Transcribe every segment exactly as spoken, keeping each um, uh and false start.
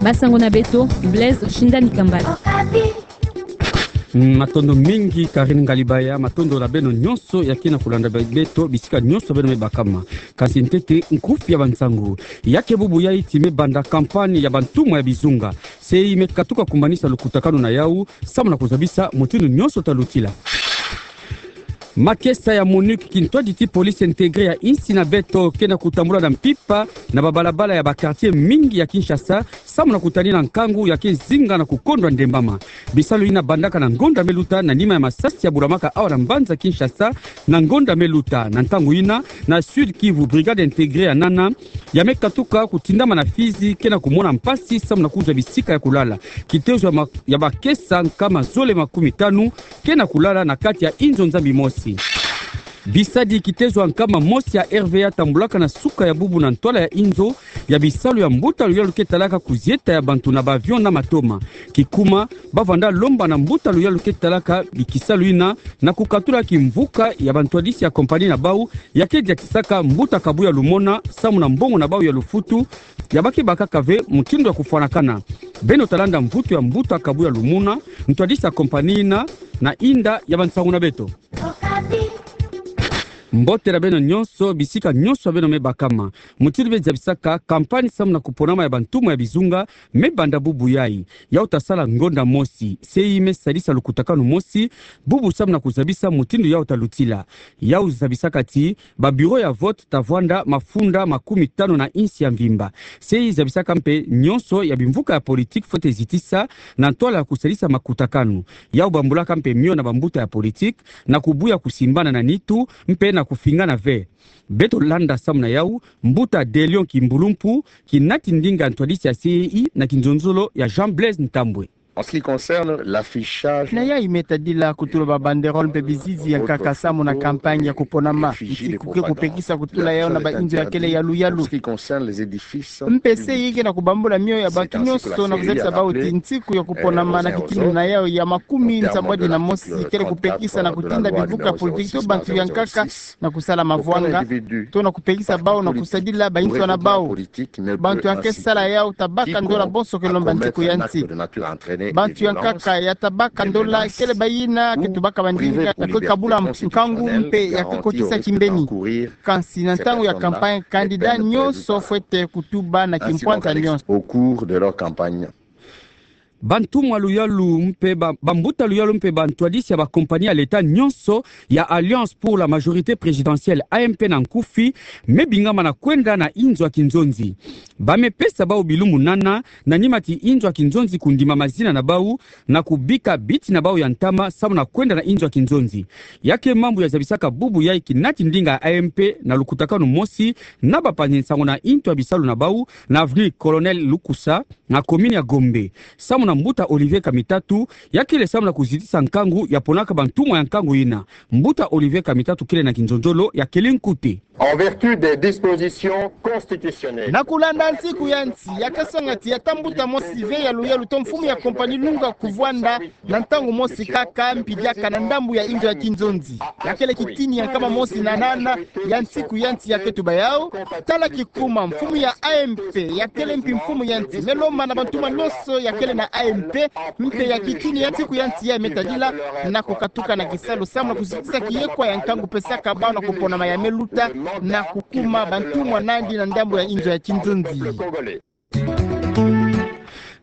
Basango na beto, Blaise Shindani Kambale. Mm, matondo mingi, Karine Ngalibaya, matondo na beno nyonso ya ke na kulanda be-, beto, bisika nyonso beno me bakama. Kasi ntete, nkufi ya bansango. Ya ke bubu yai ti me banda campagne ya bantumwa ya bizunga. Se i me katuka kumbanisa lukutakanu na yau, samu na kuzabisa mutindu nyonso ta lutila. Makesa ya MONUC, kintwadi ti police intégrée ya insi na beto, ke na kutambula na mpimpa na babalabala ya baquartier mingi ya Kinshasa, samu na kutanina nkangu ya ke zinga na kukondwa ndembama. Bisalu yina bandaka na ngonda me luta na nima ya masasi ya bulamaka awa na mbanza Kinshasa na ngonda me luta. Na ntangu yina, na Sud-Kivu, brigade intégrée ya nana ya me katuka kutindama na Fizi ke na kumona mpasi samu na kuzwa bisika ya kulala. Kitezo ya ma-, ya bakesa nkama zole makumi tanu ke na kulala na kati ya inzo nzambi mosi. Bisadi kitezo ya nkama mosi ya R V A tambulaka na suka ya bubu na ntwala ya inzo ya bisalu ya mbuta luyalu ke talaka kuzieta ya bantu na ba avion na matoma. Kikuma, ba vanda lomba na mbuta luyalu ke talaka bikisalu yina na kukatula kimvuka ya bantwadisi ya compagnie na bau ya ke diatisaka mbuta Kabuya Lumona samu na mbongo na bau ya lufutu ya ba ke bakaka ve mutindu ya kufwanakana. Beno ta landa mvutu ya mbuta Kabuya Lumona, ntwadisi ya compagnie yina, na inda ya bansango na beto. Mbote na beno nyonso, bisika nyonso beno me bakama. Mutindu be zabisaka campagne samu na kuponama ya bantumwa ya bizunga me banda bubu yai. Yau ta sala ngonda mosi. Se i me sadisa lukutakanu mosi bubu samu na kuzabisa mutindu yau ta lutila. Yau zabisaka ti ba bureau ya vote ta vwanda mafunda makumi tanu na insi ya mvimba. Se i zabisaka mpe nyonso ya bimvuka ya politique fwete zitisa na ntwala ya kusadisa makutakanu. Yau bambulaka mpe mio na bambuta ya politique na kubuya kusimbana na nitu mpe na kufingana ve. Beto landa samu na yau, mbuta De Lion Kimbulumpu, kinati ndinga ntwadisi ya C E I na kinzonzolo ya Jean Blaise Ntambwe. En ce qui concerne l'affichage, na yai me tadila kutula ba banderole mpe bizizi ya nkaka samu na campagne ya kuponama, nti ku ke kupekisa kutula yau na ba inzo ya kele yaluyalu. En ce qui concerne les édifices publics, mpe se i ke na kubambula mio ya bantu nyonso na kuzabisa bau ti ntiku ya kuponama na kitini na yau ya makumi nsambwadi na mosi kele kupekisa na kutinda bimvuka politique to bantu ya nkaka na kusala mavwanga, to na kupekisa bau na kusadila bansoni na bau. Bantu ya ke sala yau ta baka ndola bonso ke lomba ntiku ya nsi. Bantu ya nkaka ya ta baka ndola kele bayina ke tubaka bandinga ya ke kabula nkangu mpe ya ke kotisa kimbeni. Kansi na ntangu ya campagne, candidat nyonso fwete kutuba na kimpwanta nyonso. Au cours de leur campagne. Bantumwa luyalu mpe ba, bambuta luyalu mpe bantwadisi ya ba compagnie ya l'État nyonso ya Alliance pour la majorité présidentielle, A M P na nkufi, me bingama na kwenda na inzo ya kinzonzi. Ba me pesa bau bilumbu nana na nima ti inzo ya kinzonzi kundima mazina na bau na kubika biti na bau ya ntama samu na kwenda na inzo ya kinzonzi. Ya ke mambu ya zabisaka bubu yai kinati ndinga ya A M P na lukutakanu mosi na bapanzi nsangu na intu ya bisalu na bau na avenue Colonel Lukusa, na commune ya Gombe, samu na mbuta Olivier Kamitatu, ya kele samu na kuzitisa nkangu ya ponaka bantumwa ya nkangu yina. Mbuta Olivier Kamitatu kele na kinzonzolo ya kele nkute. En vertu des dispositions constitutionnelles. Na kulanda ntiku ya nsi, ya ke songa ti ya ta mbuta mosi ve yaluyalu to mfumu ya compagnie lunga kuvwanda na ntangu mosi kaka mpi diaka na ndambu ya inzo ya kinzonzi. Ya kele kitini ya nkama mosi na nana ya ntiku ya nsi ya ke tuba yau. Tala kikuma, mfumu ya A M P ya kele mpi mfumu ya nsi, me lomba na bantumwa nyonso ya kele na A M P, mpe ya kitini ya ntiku ya nsi ya me tadila na kukatuka na kisalu samu na kuzitisa kiyekwa ya nkangu pesaka bau na kuponama ya me luta na kukuma bantumwa nandi na ndambu ya inzo ya kinzonzi.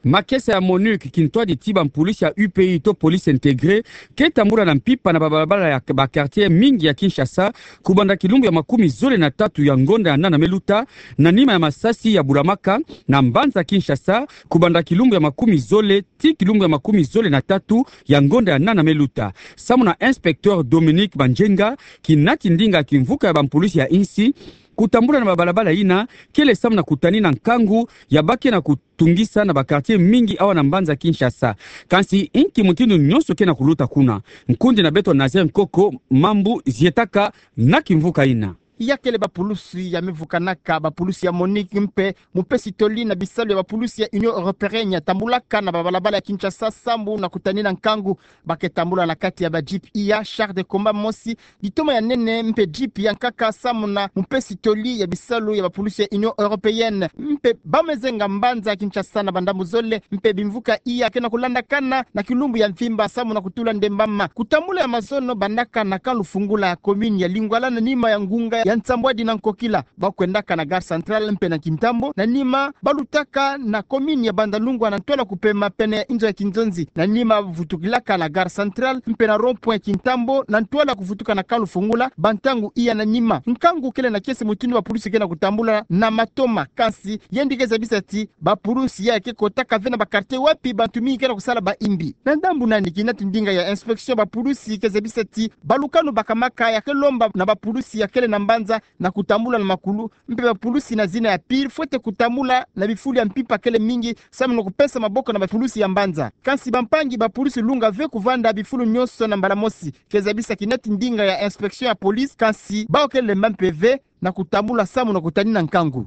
Makesa ya MONUC, kintwadi ti bampulisi ya U P I to police intégrée, ke tambula na mpimpa na babalabala ya baquartier mingi ya Kinshasa, kubanda kilumbu ya makumi zole na tatu ya ngonda ya nana me luta, na nima ya masasi ya bulamaka na mbanza Kinshasa, kubanda kilumbu ya makumi zole tii kilumbu ya makumi zole na tatu ya ngonda ya nana me luta. Samu na inspecteur Dominique Banjenga, kinati ndinga kimvuka ya bampulisi ya insi, kutambula na babalabala yina kele samu na kutanina nkangu ya ba ke na kutungisa na baquartier mingi awa na mbanza Kinshasa. Kansi inki mutindu nyonso ke na kuluta kuna? Nkundi na beto Nazaire Nkoko, mambu zietaka na kimvuka yina. Ya kele bapulusi ya mevukanaka bapulusi ya MONUC mpe mupesi toli na bisalu ya bapulusi ya Union Européenne ya tambulaka na babalabala ya Kinshasa sambu na kutanina nkangu. Ba ke tambula na kati ya ba jeep iya, char de combat mosi, litoma ya nene mpe jeep ya nkaka sambu na mupesi toli ya bisalu ya bapulusi ya Union Européenne. Mpe ba me zenga mbanza ya Kinshasa na bandambu zole, mpe bimvuka iya ke na kulandakana na kilumbu ya mvimba sambu na kutula ndembama. Kutambula ya mazono bandaka na Camp Lufungula ya commune ya Lingwala na nima ya ngunga ya nsambwadi na nkokila. Ba kwendaka na Gare Centrale mpe na Kintambo, na nima ba lutaka na commune ya Bandalungwa na ntwala kupema pene ya inzo ya kinzonzi. Na nima ba vutukilaka na Gare Centrale mpe na rond-point Kintambo na ntwala kuvutuka na Camp Lufungula, bantangu iya na nima. Nkangu kele na kiese mutindu bapulusi ke na kutambula na matoma, kansi yandi ke zabisa ti bapulusi ya ke kotaka ve na ba quartier wapi bantu mingi ke na kusala ba imbi. Na ndambu nani, kinati ndinga ya inspection bapulusi ke zabisa ti balukanu bakamaka ya ke lomba na bapulusi ya kele na mbanza na kutambula na makulu, mpe bapulusi na zina ya pire fwete kutambula na bifulu ya mpimpa kele mingi sambu na kupesa maboko na bapulusi ya mbanza. Kansi bampangi bapulusi lunga ve kuvanda bifulu nyonso na mbala mosi, ke zabisa kinati ndinga ya inspection ya police, kansi bawu ke lemba mpe ve na kutambula sambu na kutanina nkangu.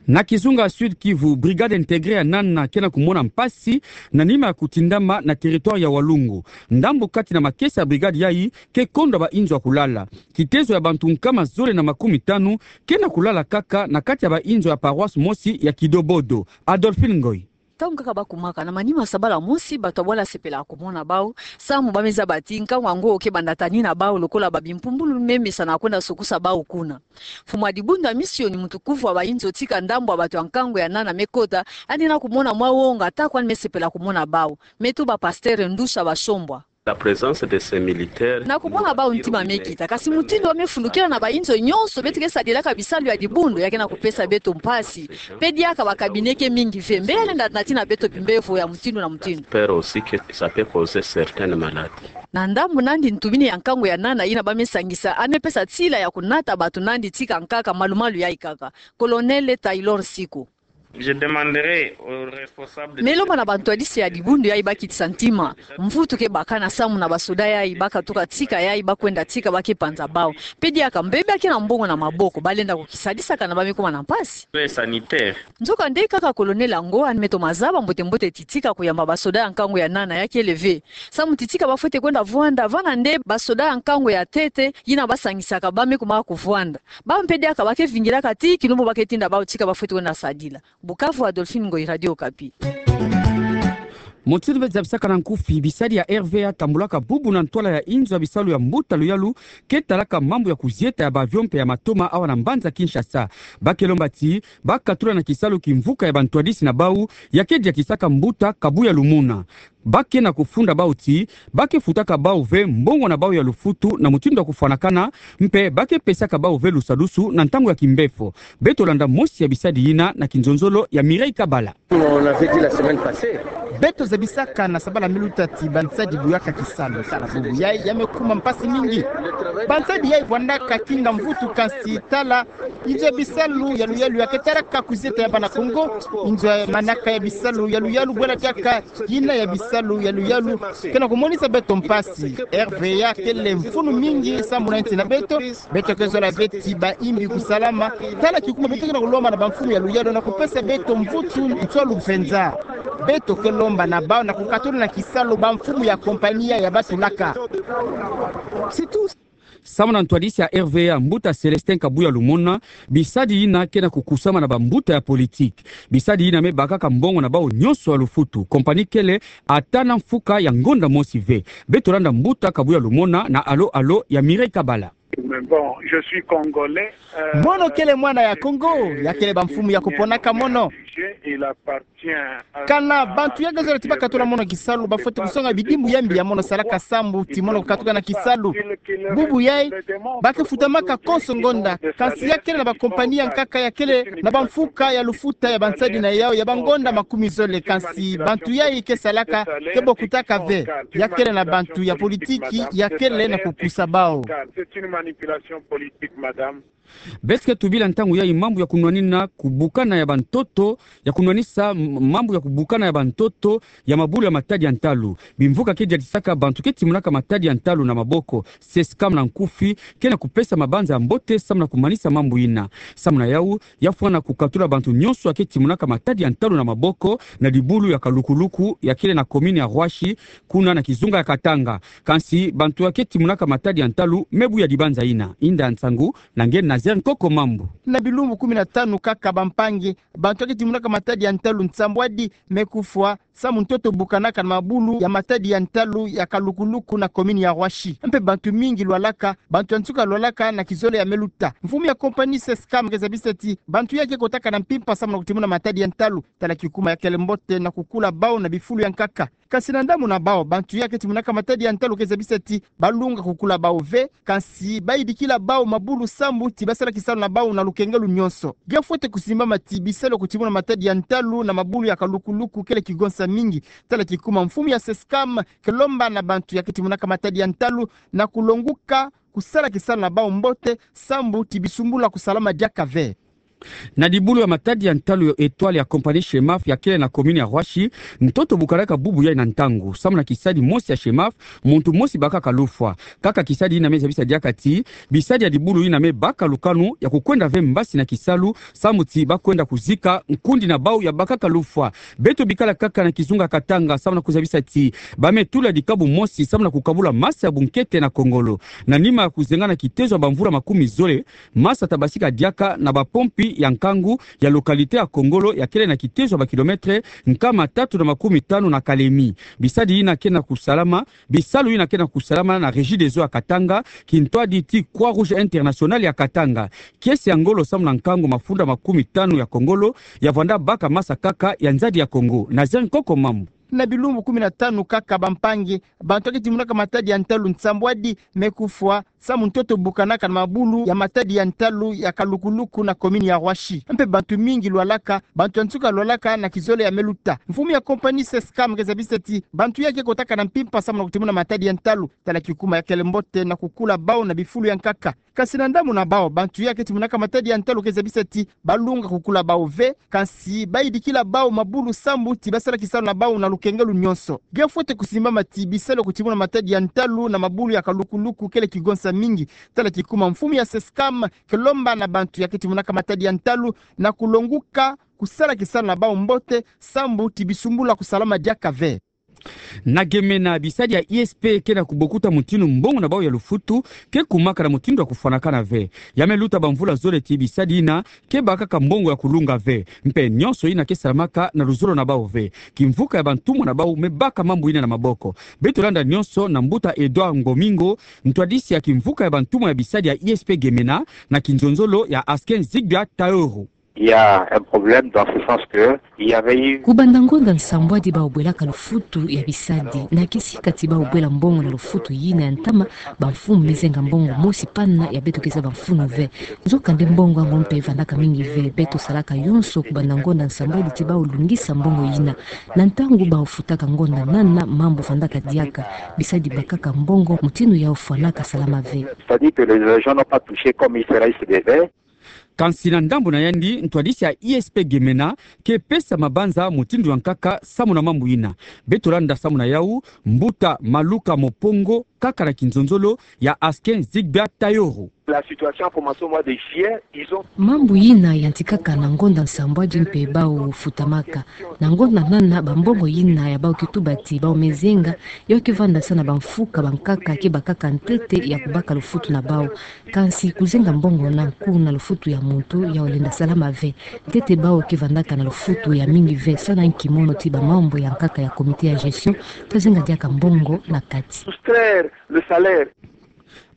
Na kizunga Sud Kivu, brigade intégrée ya nana ke na kumona mpasi na nima ya kutindama na territoire ya Walungu. Ndambu kati na makesa ya brigade yayi ke kondwa ba inzo ya kulala. Kitezo ya bantu nkama zole na makumitanu ke na kulala kaka na kati ya ba inzo ya paroisse mosi ya Kidobodo. Adolphine Ngoyi. Ntangu kaka ba kumaka na manima sabala mosi, bato ya bwala sepelaka kumona bawu, sambu ba me zaba ti nkangu yango ke banda tanina bawu lokola ba bimpumbulu me mesanaka kwenda sukusa bawu kuna. Mfumu ya dibundu ya misioni mutukufu ya ba inzo tika ndambu ya bato ya nkangu ya nana me kota, yandi na kumona mwa wonga, ata kwani me sepela kumona bawu. Me tuba pasteur Ndusha Bashombwa. La présence de ces militaires. Na kumona bawu ntima me kita, kasi mutindu ba me fundukila na ba inzo nyonso, beto ke sadilaka bisalu ya dibundu, ya ke na kupesa beto mpasi. Mpe diaka ba cabinet ke mingi ve, mbe ya lenda natina beto bimbevo ya mutindu na mutindu. Peur aussi que ça peut causer certaines maladies. Na ndambu nandi, ntumini ya nkangu ya nana yina ba me sangisa, yandi me pesa nsila ya kunata bato nandi tika nkaka malu-malu yayi kaka. Colonel Taylor Siko. Je demanderai aux responsables de... Me lomba na bantwadisi ya dibundu yayi ba kitisa ntima. Mvutu ke baka na samu na basoda yayi ba katuka tika yayi ba kwenda tika ba ke panza bawu. Mpe diaka mbe ba ke na mbongo na maboko, ba lenda kukisadisaka na ba me kuma na mpasi. Sanitaire. Nzokande kaka colonel yango yandi me toma zaba mbote-mbote ti tika kuyamba basoda ya nkangu ya nana ya kele ve. Samu ti tika ba fwete kwenda vwanda, vana nde basoda ya nkangu ya ntete yina ba sangisaka ba me kuma kuvwanda. Bawu mpe diaka ba ke vingilaka ti kilumbu ba ke tinda bawu tika ba fwete kwenda sadila. Bukavu, Adolphine Ngoyi, Radio Okapi. Mutindu be zabisaka na nkufi, bisadi ya R V A tambulaka bubu na ntwala ya inzo ya bisalu ya mbuta luyalu ke talaka mambu ya kuzieta ya ba avion mpe ya matoma awa na mbanza Kinshasa. Ba ke lomba ti ba katula na kisalu kimvuka ya bantwadisi na bawu ya ke diakisaka mbuta Kabuya Lumuna. Ba ke na kufunda bawu ti ba ke futaka bawu ve mbongo na bawu ya lufutu na mutindu ya kufwanakana, mpe ba ke pesaka bawu ve lusadusu na ntangu ya kimbefo. Beto landa mosi ya bisadi yina na kinzonzolo ya Mireille Kabala. On avait dit la semaine passée. Beto zabisaka na sabala me luta ti bansadi buyaka kisalu. Bubu yayi ya me kuma mpasi mingi. Bansadi yayi vwandaka kinga mvutu, kansi tala inzo ya bisalu ya luyalu ya ke talaka kuzieta ya bana Kongo. Inzo ya manaka ya bisalu ya luyalu, bwela diaka yina ya bisalu ya luyalu ke na kumonisa beto mpasi. R V A kele mfunu mingi samu na nsi na beto. Beto ke zola ve ti ba imbi kusalama. Tala kikuma beto ke na kulomba na bamfumu ya luyalu na kupesa beto mvutu nswalu mpenza. Beto ke lomba na bawu na kukatula na kisalu bamfumu ya kompani ya ba tulaka. C'est tout. Samu na ntwadisi ya R V A, mbuta Célestin Kabuya Lumuna, bisadi yina ke na kukusama na bambuta ya politiki. Bisadi yina me bakaka mbongo na bawu nyonso ya lufutu. Kompani kele ata na mfuka ya ngonda mosi ve. Beto landa mbuta Kabuya Lumuna na Allô Allô ya Mireille Kabala. Mais bon, je suis congolais, euh... Mono kele mwana ya Kongo, ya kele bamfumu ya kuponaka mono. Il appartient à... Kana bantu ya ke zola ti ba katula mono kisalu ba fwete kusonga bidimbu ya mbi ya mono salaka samu ti mono katuka na kisalu. Bubu yayi ba ke futamaka konso ngonda, kansi ya kele na bakompani ya nkaka ya kele na bamfuka ya lufuta ya bansadi na yawu ya bangonda makumi zole, kansi bantu yayi ke salaka ke bokutaka ve. Ya kele na bantu ya politiki ya kele na kukusa bawu. C'est une manipulation politique, madame. Beto ke tubila ntangu yayi mambu ya kunwanina kubukana ya bantoto, ya kunwanisa mambu ya kubukana ya bantoto ya mabulu ya matadi ya ntalu. Bimvuka ke diadisaka bantu ke timonaka matadi ya ntalu na maboko, CESCAM na nkufi, ke na kupesa mabanza ya mbote samu na kumanisa mambu ina. Samu na yau, ya fwana kukatula bantu nyonso ya ke timonaka matadi ya ntalu na maboko na dibulu ya Kalukuluku ya kele na commune ya Roissy, kuna na kizunga ya Katanga. Kansi bantu ya ke timonaka matadi ya ntalu me buya dibanza ina. Inda nsangu na nge Nazaire Nkoko Mambu. Na bilumbu kumi na tanu kaka bampangi, bantu ya ke timonaka matadi ya ntalu nsambwadi me kufwa samu ntoto bukanaka na mabulu ya matadi ya ntalu ya Kalukuluku na commune ya Roissy. Mpe bantu mingi lwalaka, bantu ya nsuka lwalaka na kizole ya me luta. Mfumu ya compagnie CESCAM ke zabisa ti bantu ya ke kotaka na mpimpa samu na kutimona matadi ya ntalu, tala kikuma ya kele mbote na kukula bau na bifulu ya nkaka. Kansi na ndambu na bau, bantu ya ke timonaka matadi ya ntalu ke zabisa ti balunga kukula bau ve, kansi bayidikila bau mabulu sambu ti basala kisalu na bau na lukengelo nyonso. Ge fwete kusimbama ti bisalu ya kutimona matadi ya ntalu na mabulu ya Kalukuluku kele kigonsa mingi. Tala kikuma mfumu ya CESCAM ke lomba na bantu ya ke timonaka matadi ya ntalu na kulonguka kusala kisalu na bau mbote sambu ti bisumbula kusalama diaka ve. Na dibulu ya matadi ya ntalu ya Etoile ya compagnie Chemaf ya kele na commune ya Roissy, ntoto bukanaka bubu yai na ntangu. Samu na kisadi mosi ya Chemaf, muntu mosi bakaka lufwa. Kaka kisadi ina me zabisa diaka ti bisadi ya dibulu ina me baka lukanu ya kukwenda ve mbasi na kisalu, samu ti bakwenda kuzika nkundi na bau ya bakaka lufwa. Beto bikala kaka na kizunga Katanga, samu na kuzabisa ti ba me tula dikabu mosi samu na kukabula masa ya bunkete na Kongolo. Na nima ya kuzenga na kitezo ya bamvula makumi zole, masa tabasika diaka na bapompi ya nkangu ya localité ya Kongolo ya kele na kitezo ya bakilometre nkama tatu na makumi tanu na Kalemi. Bisadi ina ke na kusalama, bisalu ina ke na kusalama na Regideso ya Katanga, kintwadi ti Croix-Rouge Internationale ya Katanga. Kiese ya ngolo samu na nkangu mafunda makumi tanu ya Kongolo ya vwanda baka masa kaka ya nzadi ya Kongo. Nazaire Nkoko Mambu. Na bilumbu kumi na tanu kaka bampangi, bantu ya ke timonaka matadi ya ntalu nsambwadi me kufwa samu ntoto bukanaka na mabulu ya matadi ya ntalu ya Kalukuluku na commune ya Roissy. Mpe bantu mingi lwalaka, bantu ya nsuka lwalaka na kizole ya me luta. Mfumu ya compagnie CESCAM ke zabisa ti bantu ya ke kotaka na mpimpa samu na kutimona matadi ya ntalu, tala kikuma ya kele mbote na kukula bau na bifulu ya nkaka. Kansi na ndambu na bau, bantu ya ke timonaka matadi ya ntalu ke zabisa ti balunga kukula bau ve, kansi bayidikila bau mabulu sambu ti basala kisalu na bau na lukengelo nyonso. Ge fwete kusimbama ti bisalu ya kutimona matadi ya ntalu na mabulu ya Kalukuluku kele kigonsa mingi. Tala kikuma mfumu ya CESCAM ke lomba na bantu ya ke timonaka matadi ya ntalu na kulonguka kusala kisalu na bau mbote sambu ti bisumbula kusalama diaka ve. Na Gemena, bisadi ya I S P ke na kubokuta mutindu mbongo na bau ya lufutu ke kumaka na mutindu ya kufwanakana ve. Ya me luta bamvula zole ti bisadi ina ke bakaka mbongo ya kulunga ve. Mpe nyonso ina ke salamaka na luzolo na bau ve. Kimvuka ya bantumwa na bau me baka mambu ina na maboko. Beto landa nyonso na mbuta Edouard Ngomingo, ntwadisi ya kimvuka ya bantumwa ya bisadi ya I S P Gemena, na kinzonzolo ya Asken Zigbia Taoro. Il y a un problème dans ce sens que il y avait eu... Kubanda ngonda nsambwadi bau bwelaka lufutu ya bisadi, na kisika ti bau bwela mbongo na lufutu yina ya ntama, bamfumu me zenga mbongo mosi pana ya beto ke zaba mfunu ve. Nzokande mbongo yango mpe vandaka mingi ve, beto salaka yonso kubanda ngonda nsambwadi ti bau lungisa mbongo yina. Na ntangu bau futaka ngonda nana, mambu vandaka diaka, bisadi bakaka mbongo, mutindu yau fwanaka salama ve. C'est-à-dire que les gens n'ont pas touché comme il serait, il se devait. Kansi na ndambu na yandi, ntwadisi ya I S P Gemena ke pesa mabanza mutindu ya nkaka samu na mambu ina. Beto landa samu na yau, mbuta Maluka Mopongo, kaka na kinzonzolo ya Asken Zigbia Taoro. La situation a commencé au mois de juillet, ils ont... Mambu ina yantikaka na ngonda nsambwadi mpe bau futamaka. Na ngonda nana, bambongo ina ya bau ke tuba ti bau me zenga, yau ke vanda sa na bamfuka bankaka ke bakaka ntete ya kubaka lufutu na bau. Kansi kuzenga mbongo na nku na lufutu ya muntu yau lenda salama ve. Ntete bau ke vandaka na lufutu ya mingi ve, sa na nki mono ti bamambu ya nkaka ya comité ya gestion, ta zenga diaka mbongo na kati. Soustraire le salaire.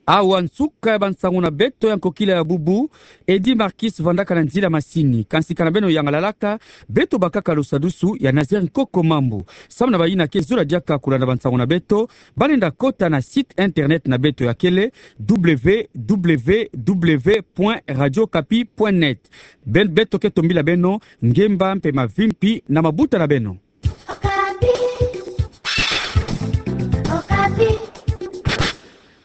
Awa nsuka ya bansangu na beto ya nkokila ya bubu. Eddy Marquis vandaka na nzila masini. Kansi kana beno yangalalaka, beto bakaka lusadusu ya Nazaire Nkoko Mambu. Samu na bayina ke zola diaka kulanda bansangu na beto, ba lenda kota na site internet na beto ya kele W W W point radio okapi point net. Be-, beto ke tombila beno ngemba mpe mavimpi na mabuta na beno. Okapi. Okapi.